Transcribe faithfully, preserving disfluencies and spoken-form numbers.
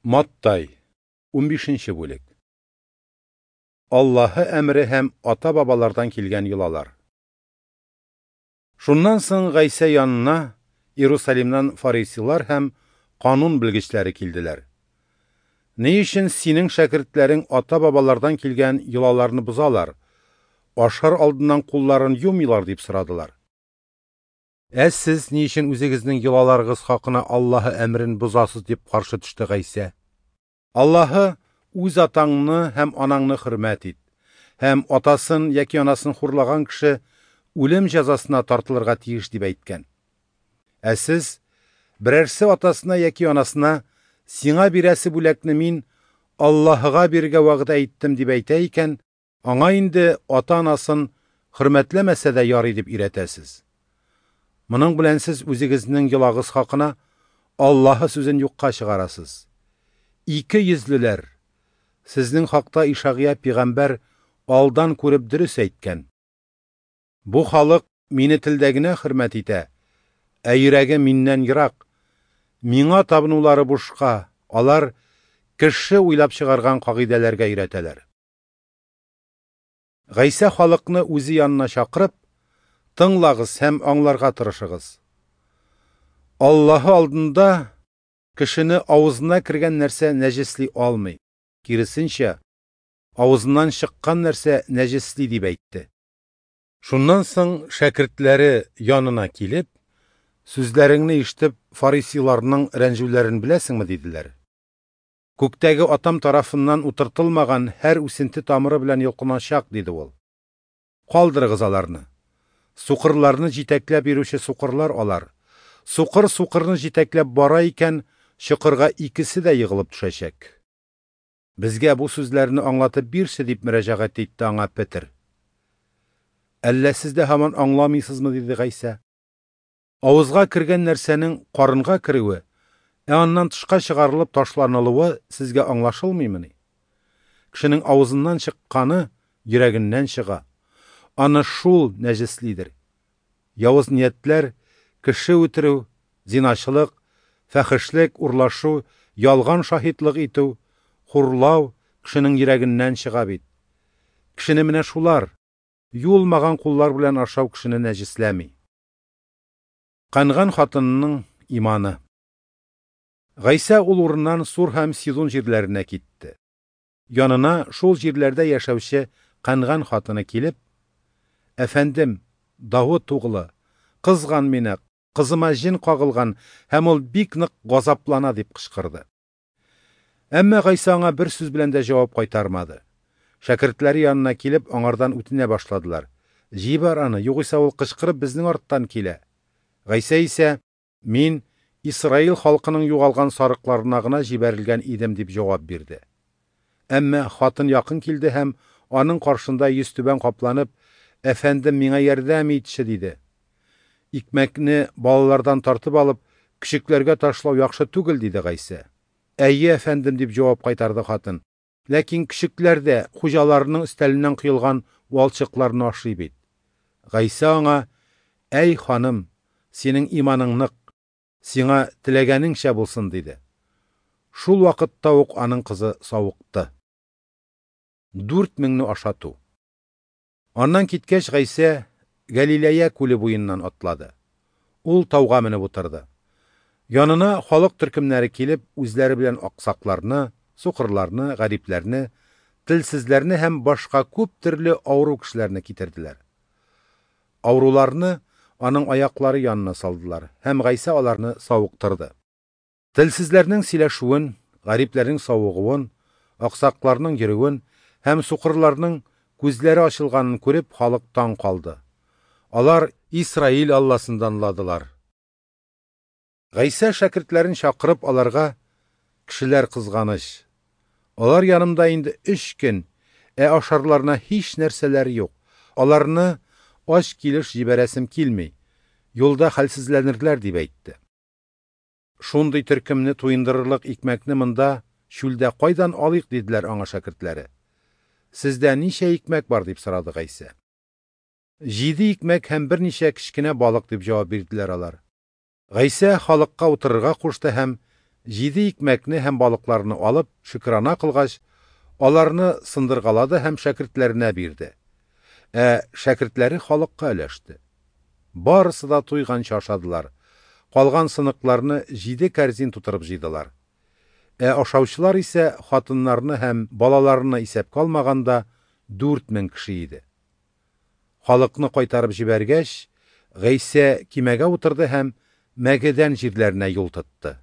Маттай, унбишенче бүлек. Аллаһы әмре һәм ата-бабалардан килгән йолалар. Шуннан соң Гайсә янына Иерусалимнан фарисейлар һәм канун белгечләре килделәр. Ни өчен синең шәкертләрең ата-бабалардан килгән йолаларны бозалар, ашар алдыннан кулларын юмыйлар дип сорадылар. Ә сез ни өчен үзегезнең йолаларыгыз хакына Аллаһы әмрен бозасыз дип каршы төште Гайсә. Аллаһы үз атаңны һәм анаңны хөрмәт ит, һәм атасын яки анасын хурлаган кеше үлем җәзасына тартылырга тиеш дип әйткән. Ә сез берәрсе атасына яки анасына сиңа бирәсе бүләкне мин Аллаһыга бирергә вәгъдә иттем дип әйтә икән, аңа инде ата-анасын хөрмәтләмәсә дә ярый дип өйрәтәсез. Моның белән сез үзегезнең йолагыз хакына Аллаһы сүзен юкка чыгарасыз. Ике йөзлеләр! Сезнең хакта Ишагыя пәйгамбәр алдан күреп дөрес әйткән. Бу халык мине телдә генә хөрмәт итә, ә йөрәге миннән ерак. Миңа табынулары бушка, алар кеше уйлап чыгарган кагыйдәләргә өйрәтәләр. Гайсә халыкны үзе янына чакырып, тыңлагыз һәм аңларга тырышыгыз. Аллаһы алдында кешене авызына кергән нәрсә нәҗесли алмый. Киресенчә, авызыннан чыккан нәрсә нәҗесли дип әйтте. Шуннан соң шәкертләре янына килеп, сүзләреңне ишетеп, фарисейларның рәнҗүләрен беләсеңме диделәр. Күктәге атам тарафыннан утыртылмаган һәр үсенте тамыры белән йолкыначак, диде ул. Калдырыгыз аларны. Сукырларны җитәкләп йөрүче сукырлар алар. Сукыр сукырны җитәкләп бара икән, чокырга икесе дә егылып төшәчәк. Безгә бу сүзләрне аңлатып бирче дип мөрәҗәгать итте аңа Петер. Әллә сез дә һаман аңламыйсызмы, диде Гайсә. Авызга кергән нәрсәнең карынга керүе, ә аннан тышка чыгарылып ташланылуы сезгә аңлашылмыймыни? Кешенең авызыннан чыкканы йөрәгеннән чыга. Аны шул нәҗеслидер. Явыз ниятләр, кеше үтерү, зиначылык, фәхешлек, урлашу, ялган шаһитлык итү, хурлау кешенең йөрәгеннән чыга бит. Кешене менә шулар, юылмаган куллар белән ашау кешене нәҗесләми. Канган хатынының иманы. Гайсә ул урыннан Сур һәм Сидон җирләренә китте. Янына шул җирләрдә яшәүче канган хатыны килеп, «Әфәндем, Давыт углы, кызган мине, кызыма җен кагылган һәм ул бик нык газаплана» дип кычкырды. Әмма Гайсә аңа бер сүз белән дә җавап кайтармады. Шәкертләре янына килеп, аңардан үтенә башладылар. «Җибәр аны, югыйсә ул кычкырып безнең арттан килә». Гайсә исә, «Мин Исраил халкының югалган сарыкларына гына җибәрелгән идем» дип җавап бирде. Әмма хатын якын килде һәм аның каршында йөзтүбән капланып, «Әфәндем, миңа ярдәм итче» диде. Икмәкне балалардан тартып алып, көчекләргә ташлау яхшы түгел, диде Гайсә. «Әйе, әфәндем» дип җавап кайтарды хатын. Ләкин көчекләр дә хуҗаларының өстәленнән коелган валчыкларны ашый бит. Гайсә аңа, «Әй ханым, синең иманың нык, сиңа теләгәнеңчә булсын» диде. Шул вакытта ук аның кызы савыкты. Дүрт меңне ашату. Аннан киткәч, Гайсә Галилея күле буеннан атлады. Ул тауга менеп утырды. Янына халык төркемнәре килеп, үзләре белән аксакларны, сукырларны, гарипләрне, телсезләрне һәм башка күп төрле авыру кешеләрне китерделәр. Авыруларны аның аяклары янына салдылар һәм Гайсә аларны савыктырды. Телсезләрнең сөйләшүен, гарипләрнең савыгуын, аксакларның йөрүен һәм сукырларның күзләре ачылганын күреп, халык таң калды. Алар Исраил Алласын данладылар. Гайсә шәкертләрен чакырып, аларга, «Кешеләр кызганыч. Алар янымда инде өч көн, ә ашарларына һич нәрсәләр юк. Аларны ач килеш җибәрәсем килми. Юлда хәлсезләнерләр» дип әйтте. Шундый төркемне туендырырлык икмәкне монда чүлдә кайдан алыйк, диделәр аңа шәкертләре. Сездә ничә икмәк бар, дип сорады Гайсә. Җиде икмәк һәм берничә кечкенә балык, дип җавап бирделәр алар. Гайсә халыкка утырырга кушты һәм Җиде икмәкне һәм балыкларны алып, шөкрана кылгач, аларны сындыргалады һәм шәкертләренә бирде. Ә шәкертләре халыкка өләште. Барысы да туйганчы ашадылар. Калган сыныкларны җиде кәрзин тутырып җыйдылар. Ә ашаучылар исә хатыннарны һәм балаларны исәпкә алмаганда дүрт мең кеше иде. Халыкны кайтарып җибәргәч, Гайсә кимәгә утырды һәм Мәгедән җирләренә юл тотты.